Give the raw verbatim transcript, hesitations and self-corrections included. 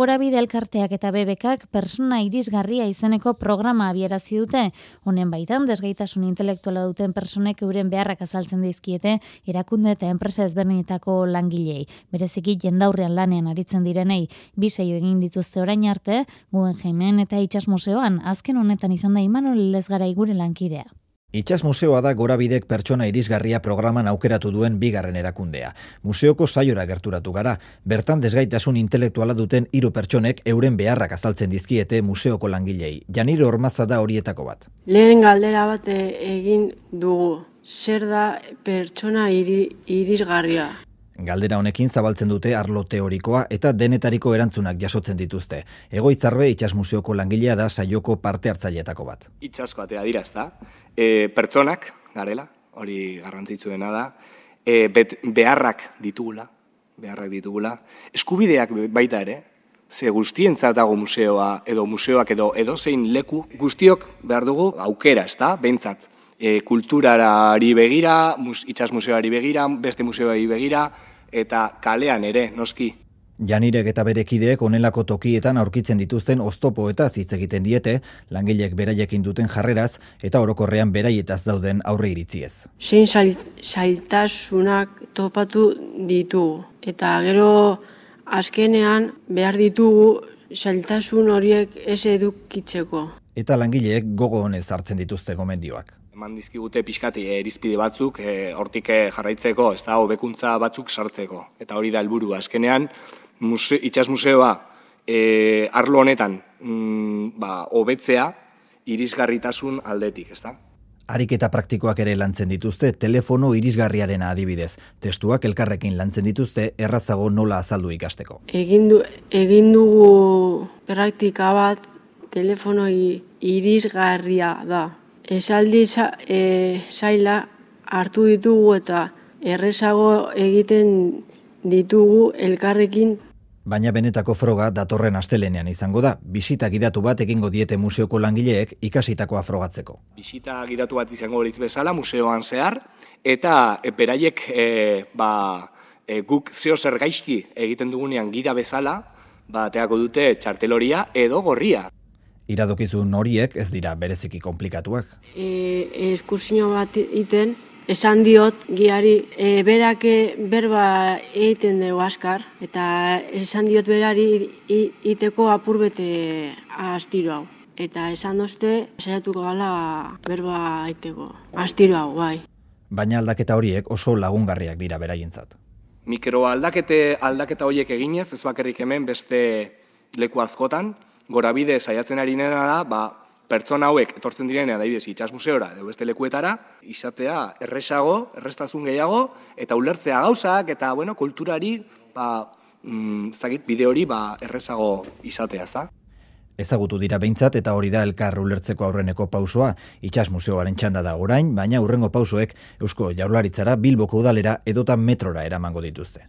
Gorabide elkarteak eta B B Kak persona irisgarria izeneko programa abiarazi dute. Honen baitan, desgaitasun intelektuala duten personek euren beharrak azaltzen dizkiete erakunde eta enpresa ezberdinetako langilei. Bereziki jendaurrean lanean aritzen direnei, bi saio egin dituzte orain arte, Guggenheimen eta Itsas Museoan, azken honetan izan da Imanol Lezgarai gure lankidea. Itsas Museoa da Gorabidek pertsona irisgarria programan aukeratu duen bigarren erakundea. Museoko saiora gerturatu gara, bertan desgaitasun intelektuala duten hiru pertsonek euren beharrak azaltzen dizkiete museoko langilei. Janire Ormaza da horietako bat. Lehen galdera bat egin dugu, zer da pertsona iri, irisgarria? Galdera honekin zabaltzen dute arlo teorikoa eta denetariko erantzunak jasotzen dituzte. Egoitzarbe Itsas Museoko langilea da saioko parte hartzaileetako bat. Itsasko atea dira, ezta? E, pertsonak, garela, hori garrantzitsuena da, e, bet, beharrak ditugula, beharrak ditugula, eskubideak baita ere, ze guztientzat dago museoa, edo museoak edo edozein leku, guztiok behar dugu aukera, ezta? Behintzat. E, kulturari begira, mus, Itsas Museoari begira, beste museoari begira, eta kalean ere, noski. Janirek eta bere kideek onelako tokietan aurkitzen dituzten oztopoetaz hitz egiten diete, langileek beraiekin duten jarreraz eta orokorrean beraietaz dauden aurre iritziez. Zein zailtasunak topatu ditugu, eta gero azkenean behar ditugu zailtasun horiek ez edukitzeko. Eta langileek gogo honez hartzen dituzte gomendioak. Eman dizkigute pixkati irizpide batzuk, e, hortik jarraitzeko, ez da, hobekuntza batzuk sartzeko. Eta hori da helburua. Azkenean, muse, Itsas Museoa e, arlo honetan mm, ba, hobetzea irisgarritasun aldetik, ez da? Ariketa praktikoak ere lantzen dituzte, telefono irisgarriaren adibidez. Testuak elkarrekin lantzen dituzte, errazago nola azaldu ikasteko. Egin, du, egin dugu praktika bat, telefono irisgarria da. Esaldi e, zaila hartu ditugu eta errezago egiten ditugu elkarrekin. Baina benetako froga datorren astelenean izango da. Bisita gidatu bat egingo diete museoko langileek ikasitakoa frogatzeko. Bisita gidatu bat izango litz bezala museoan zehar, eta e, beraiek e, ba, e, guk zeo zer gaizki egiten dugunean gida bezala, ba, teako dute txarteloria edo gorria. Iradokizun horiek ez dira bereziki komplikatuak. E, eskursio bat iten, esan diot giari e, berak berba egiten dugu askar, eta esan diot berari iteko apurbete astiro hau. Eta esan dozte, saiatuko gala berba egiteko astiro hau, bai. Baina aldaketa horiek oso lagungarriak dira beraientzat. Mikro aldakete, aldaketa horiek eginez, ez bakarrik hemen beste leku askotan, Gorabide saiatzen ari nena da, ba, pertsona hauek etortzen direnean adibidez Itsas Museora edo beste lekuetara, izatea erresago, errestasun gehiago, eta ulertzea gauzak, eta bueno, kulturari, ba, mm, zagit, bide hori ba, errezago izatea, ezta? Ezagutu dira behintzat eta hori da elkar ulertzeko aurreneko pausoa. Itsas Museoaren txanda da orain, baina hurrengo pausoek Eusko Jaurlaritzara, Bilboko udalera edota metrora eramango dituzte.